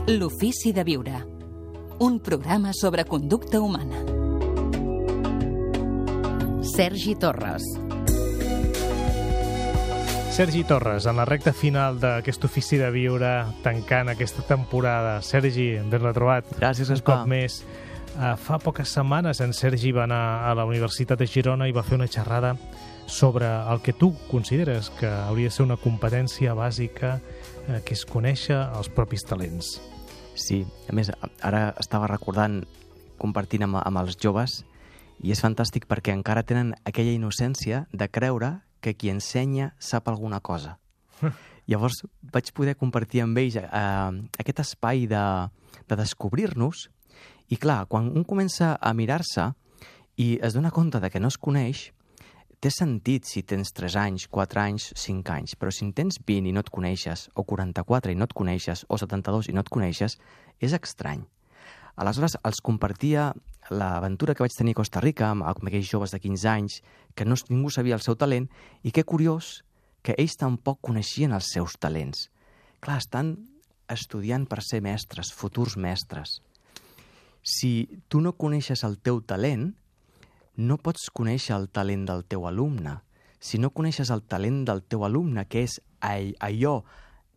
L'ofici de viure. Un programa sobre conducta humana. Sergi Torres. Sergi Torres, en la recta final d'aquest ofici de viure, tancant aquesta temporada. Sergi, ben retrobat. Gràcies, un cop més. Fa poques setmanes en Sergi va anar a la Universitat de Girona i va fer una xerrada sobre el que tu consideres que hauria de ser una competència bàsica, que és conèixer els propis talents. Sí, a més, ara estava recordant, compartint amb els joves, i és fantàstic perquè encara tenen aquella innocència de creure que qui ensenya sap alguna cosa. Llavors vaig poder compartir amb ells aquest espai de descobrir-nos, i clar, quan un comença a mirar-se i es dona compte de que no es coneix, té sentit si tens 3 anys, 4 anys, 5 anys, però si en tens 20 i no et coneixes, o 44 i no et coneixes, o 72 i no et coneixes, és estrany. Aleshores, els compartia l'aventura que vaig tenir a Costa Rica amb aquells joves de 15 anys, que ningú sabia el seu talent, i que curiós que ells tampoc coneixien els seus talents. Clar, estan estudiant per ser mestres, futurs mestres. Si tu no coneixes el teu talent, no pots conèixer el talent del teu alumne. Si no coneixes el talent del teu alumne, que és allò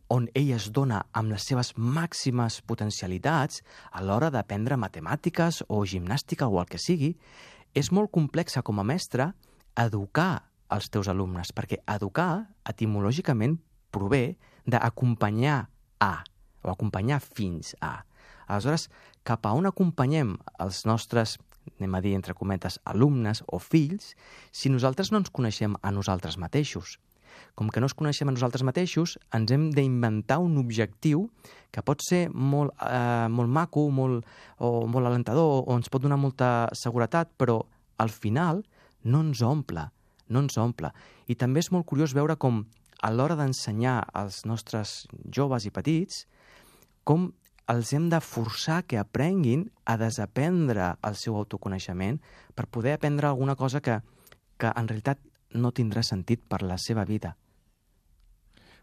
on ell es dona amb les seves màximes potencialitats a l'hora d'aprendre matemàtiques o gimnàstica o el que sigui, és molt complexa com a mestre educar els teus alumnes, perquè educar etimològicament prové d'acompanyar a, o acompanyar fins a. Aleshores, cap a on acompanyem els nostres, anem a dir entre cometes, alumnes o fills, si nosaltres no ens coneixem a nosaltres mateixos? Com que no ens coneixem a nosaltres mateixos, ens hem d'inventar un objectiu que pot ser molt maco, molt alentador, o ens pot donar molta seguretat, però al final no ens omple. I també és molt curiós veure com a l'hora d'ensenyar als nostres joves i petits, com els hem de forçar que aprenguin a desaprendre el seu autoconeixement per poder aprendre alguna cosa que en realitat no tindrà sentit per la seva vida.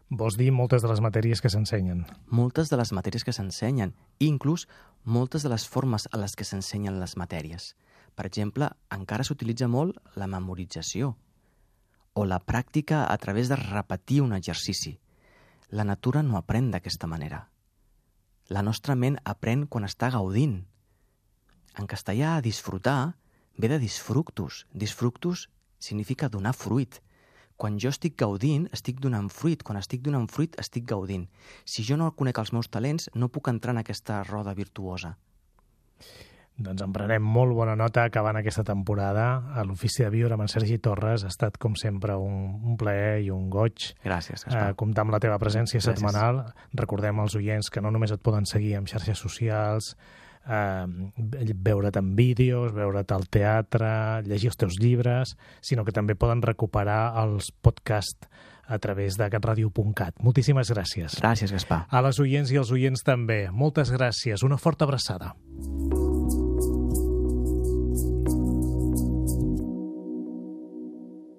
Vols dir moltes de les matèries que s'ensenyen? Moltes de les matèries que s'ensenyen, i inclús moltes de les formes a les que s'ensenyen les matèries. Per exemple, encara s'utilitza molt la memorització o la pràctica a través de repetir un exercici. La natura no aprèn d'aquesta manera. La nostra ment aprèn quan està gaudint. En castellà, disfrutar ve de disfructus. Disfructus significa donar fruit. Quan jo estic gaudint, estic donant fruit. Quan estic donant fruit, estic gaudint. Si jo no conec els meus talents, no puc entrar en aquesta roda virtuosa. Doncs en prenem molt bona nota acabant aquesta temporada. A l'Ofici de Viure amb en Sergi Torres ha estat, com sempre, un plaer i un goig. Gràcies, Gaspar. Comptar amb la teva presència setmanal. Recordem als oients que no només et poden seguir en xarxes socials, veure't en vídeos, veure't al teatre, llegir els teus llibres, sinó que també poden recuperar els podcasts a través de catradio.cat. Moltíssimes gràcies. Gràcies, Gaspar. A les oients i als oients també. Moltes gràcies. Una forta abraçada.